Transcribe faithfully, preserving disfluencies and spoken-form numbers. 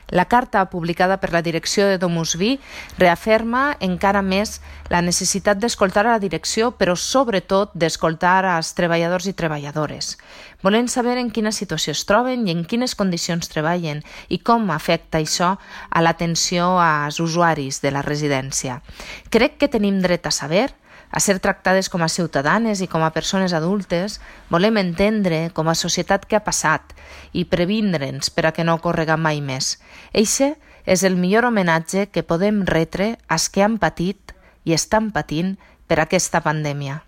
La carta publicada per la direcció de DomusVi reafirma encara més la necessitat d'escoltar a la direcció, però sobretot d'escoltar als treballadors i treballadores. Volem saber en quina situació es troben i en quines condicions treballen i com afecta això a l'atenció als usuaris de la residència. Crec que tenim dret a saber, a ser tractades com a ciutadanes i com a persones adultes. Volem entendre com a societat què ha passat i previndre'ns per a que no ocorrega mai més. Eixe és el millor homenatge que podem retre als que han patit i estan patint per aquesta pandèmia.